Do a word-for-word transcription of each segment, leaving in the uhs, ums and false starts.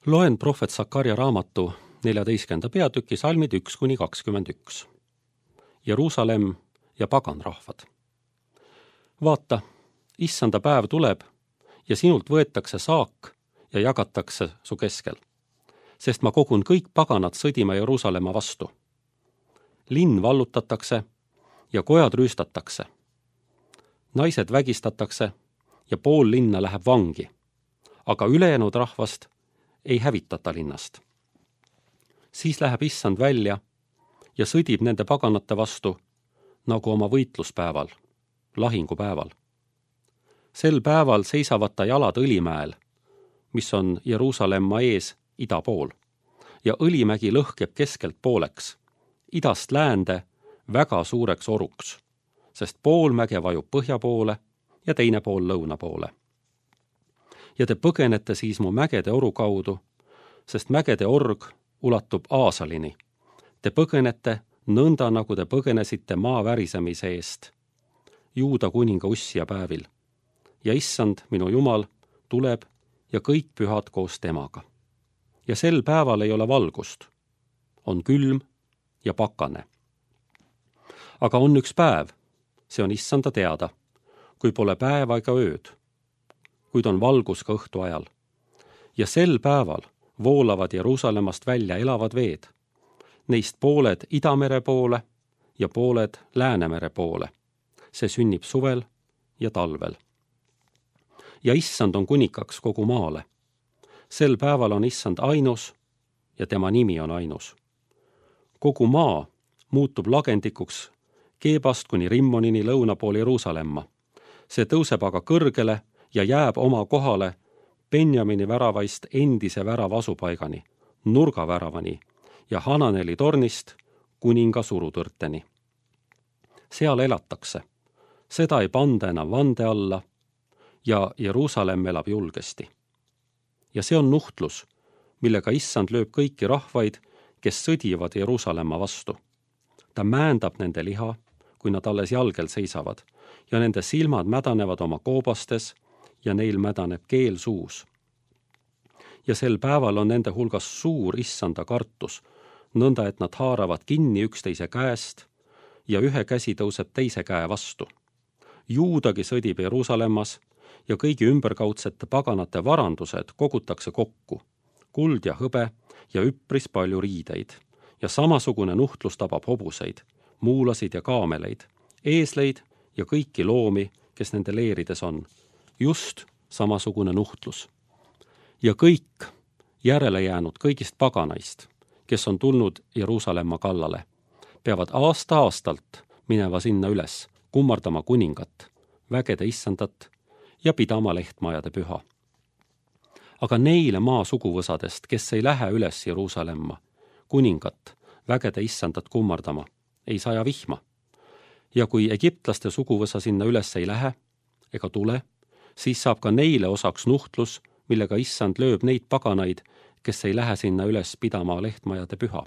Loen prohvet Sakarja raamatu neljateistkümnenda peatüki salmid üks kuni kakskümmend üks. Jeruusalemm ja paganrahvad. Vaata, issanda päev tuleb ja sinult võetakse saak ja jagatakse su keskel, sest ma kogun kõik paganad sõdima Jeruusalemma vastu. Linn vallutatakse ja kojad rüüstatakse. Naised vägistatakse ja pool linna läheb vangi, aga ülejäänud rahvast ei hävitata linnast. Siis läheb issand välja ja sõdib nende paganate vastu nagu oma võitluspäeval, lahingupäeval. Sel päeval seisavad ta jalad Õlimäel, mis on Jeruusalemma ees ida pool, ja Õlimägi lõhkeb keskelt pooleks, idast läände väga suureks oruks, sest pool mäge vajub põhja poole ja teine pool lõuna poole. Ja te põgenete siis mu mägede oru kaudu, sest mägede org ulatub Aasalini. Te põgenete nõnda, nagu te põgenesite maa värisemise eest, Juuda kuninga Ussia päevil. Ja issand, minu Jumal, tuleb ja kõik pühad koos temaga. Ja sel päeval ei ole valgust, on külm ja pakane. Aga on üks päev, see on issanda teada, kui pole päeva ega ööd, kuid on valgus ka õhtu ajal. Ja sel päeval voolavad Jeruusalemmast välja elavad veed, neist pooled Idamere poole ja pooled Läänemere poole. See sünnib suvel ja talvel. Ja issand on kunikaks kogu maale. Sel päeval on issand ainus ja tema nimi on ainus. Kogu maa muutub lagendikuks Keebast kuni Rimmonini lõuna pool Jeruusalemma. See tõuseb aga kõrgele ja jääb oma kohale Benjamini väravaist endise värava asupaigani, nurgaväravani ja Hananeli tornist kuninga surutõrteni. Seal elatakse. Seda ei panda enam vande alla ja Jeruusalemm elab julgesti. Ja see on nuhtlus, millega issand lööb kõiki rahvaid, kes sõdivad Jeruusalemma vastu. Ta määndab nende liha, kui nad alles jalgel seisavad, ja nende silmad mädanevad oma koobastes ja neil mädaneb keel suus. Ja sel päeval on nende hulgas suur issanda kartus, nõnda et nad haaravad kinni üksteise käest ja ühe käsi tõuseb teise käe vastu. Juudagi sõdib Jeruusalemmas ja kõigi ümberkaudsete paganate varandused kogutakse kokku, kuld ja hõbe ja üpris palju riideid. Ja samasugune nuhtlus tabab hobuseid, muulasid ja kaameleid, eesleid ja kõiki loomi, kes nende leerides on. Just samasugune nuhtlus. Ja kõik järele jäänud kõigist paganaist, kes on tulnud Jeruusalemma kallale, peavad aasta-aastalt mineva sinna üles, kummardama kuningat, vägede issandat ja pidama lehtmajade püha. Aga neile maa suguvõsadest, kes ei lähe üles Jeruusalemma, kuningat, vägede issandat kummardama, ei saja vihma. Ja kui egiptlaste suguvõsa sinna üles ei lähe ega tule, siis saab ka neile osaks nuhtlus, millega issand lööb neid paganaid, kes ei lähe sinna üles pidama lehtmajade püha.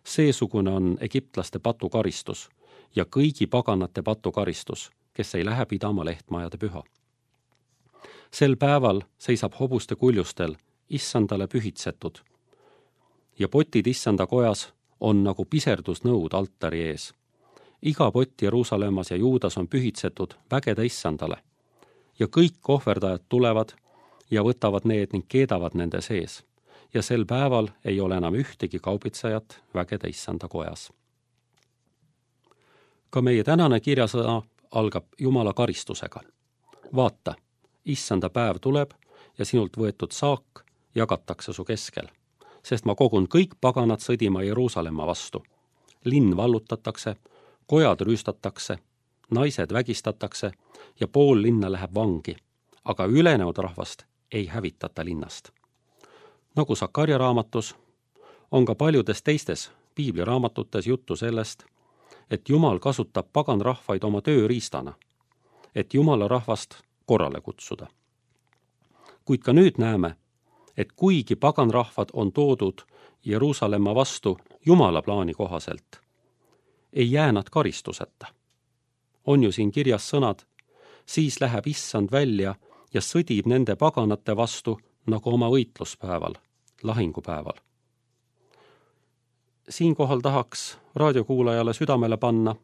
Seesugune on egiptlaste patukaristus ja kõigi paganate patukaristus, kes ei lähe pidama lehtmajade püha. Sel päeval seisab hobuste kuljustel issandale pühitsetud ja potid issanda kojas on nagu piserdusnõud altari ees. Iga pott Jeruusalemmas ja Juudas on pühitsetud vägede issandale ja kõik ohverdajad tulevad ja võtavad need ning keedavad nende sees. Ja sel päeval ei ole enam ühtegi kaubitsejat vägede issanda kojas. Ka meie tänane kirjasõna algab Jumala karistusega. Vaata, issanda päev tuleb ja sinult võetud saak jagatakse su keskel, sest ma kogun kõik paganad sõdima Jeruusalemma vastu. Linn vallutatakse, kojad rüüstatakse, naised vägistatakse ja pool linna läheb vangi, aga ülejäänud rahvast ei hävitata linnast. Nagu Sakarja raamatus, on ka paljudes teistes piibliraamatutes juttu sellest, et Jumal kasutab paganrahvaid oma tööriistana, et Jumala rahvast korrale kutsuda. Kuid ka nüüd näeme, et kuigi paganrahvad on toodud Jeruusalemma vastu Jumala plaani kohaselt, ei jää nad karistuseta. On ju siin kirjas sõnad, siis läheb issand välja ja sõdib nende paganate vastu nagu oma võitluspäeval, lahingupäeval. Siinkohal tahaks raadiokuulajale südamele panna,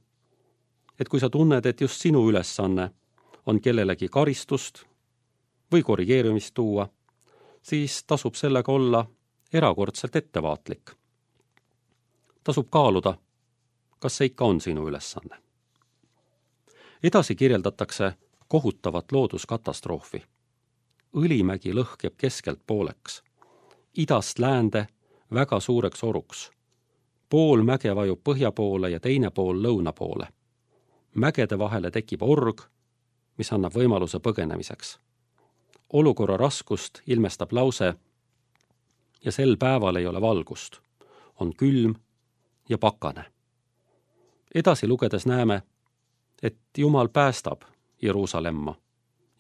et kui sa tunned, et just sinu ülesanne on kellelegi karistust või korrigeerimist tuua, siis tasub sellega olla erakordselt ettevaatlik. Tasub kaaluda, kas see ikka on sinu ülesanne. Edasi kirjeldatakse kohutavat looduskatastroofi. Õlimägi lõhkeb keskelt pooleks. Idast läände väga suureks oruks. Pool mäge vajub põhja poole ja teine pool lõuna poole. Mägede vahele tekib org, mis annab võimaluse põgenemiseks. Olukorra raskust ilmestab lause ja sel päeval ei ole valgust. On külm ja pakane. Edasi lugedes näeme, et Jumal päästab Jeruusalemma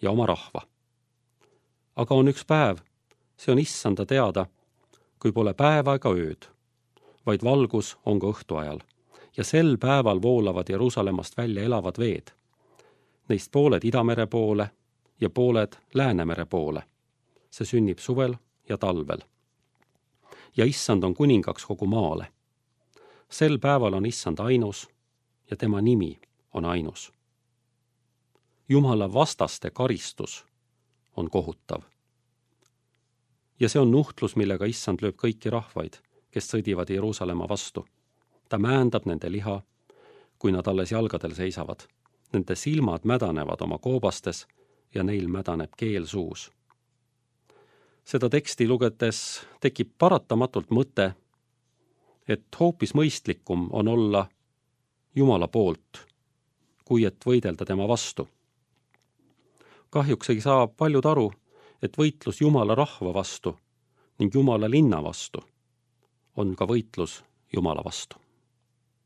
ja oma rahva. Aga on üks päev, see on issanda teada, kui pole päeva ega ööd, vaid valgus on ka õhtu ajal. Ja sel päeval voolavad Jeruusalemmast välja elavad veed. Neist pooled Idamere poole ja pooled Läänemere poole. See sünnib suvel ja talvel. Ja issand on kuningaks kogu maale. Sel päeval on issand ainus ja tema nimi on ainus. Jumala vastaste karistus on kohutav. Ja see on nuhtlus, millega issand lööb kõiki rahvaid, kes sõdivad Jeruusalemma vastu. Ta määndab nende liha, kui nad alles jalgadel seisavad. Nende silmad mädanevad oma koobastes ja neil mädaneb keel suus. Seda teksti lugedes tekib paratamatult mõte, et hoopis mõistlikum on olla Jumala poolt, kui et võidelda tema vastu. Kahjuks ei saa paljud aru, et võitlus Jumala rahva vastu ning Jumala linna vastu on ka võitlus Jumala vastu.